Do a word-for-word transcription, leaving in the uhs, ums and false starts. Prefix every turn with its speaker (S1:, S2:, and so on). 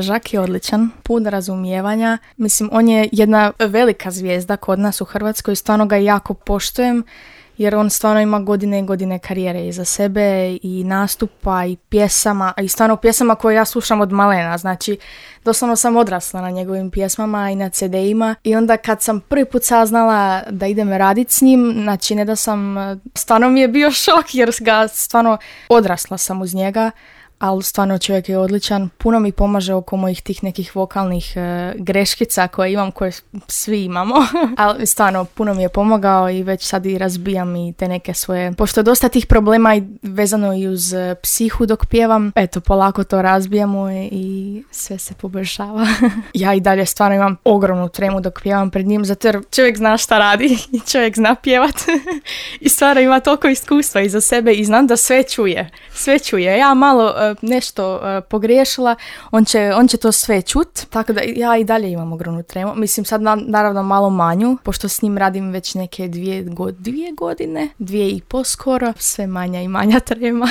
S1: Žak je odličan, pun razumijevanja. Mislim, on je jedna velika zvijezda kod nas u Hrvatskoj i stvarno ga jako poštujem jer on stvarno ima godine i godine karijere iza sebe i nastupa i pjesama, i stvarno pjesama koje ja slušam od malena. Znači, doslovno sam odrasla na njegovim pjesmama i na ce de-ima i onda kad sam prvi put saznala da idem radit s njim, znači ne da sam, stvarno mi je bio šok jer ga stvarno odrasla sam uz njega. Ali stvarno čovjek je odličan, puno mi pomaže oko mojih tih nekih vokalnih e, greškica koje imam, koje svi imamo, ali stvarno puno mi je pomogao i već sad i razbijam i te neke svoje, pošto je dosta tih problema i vezano i uz psihu dok pjevam, eto polako to razbijamo i sve se poboljšava. Ja i dalje stvarno imam ogromnu tremu dok pjevam pred njim, zato jer čovjek zna šta radi i čovjek zna pjevat i stvarno ima toliko iskustva iza sebe i znam da sve čuje, sve čuje. Ja malo nešto uh, pogriješila, on će, on će to sve čut, tako da ja i dalje imam ogromnu tremu. Mislim sad na, naravno malo manju, pošto s njim radim već neke dvije, go, dvije godine, dvije i po skoro, sve manja i manja trema.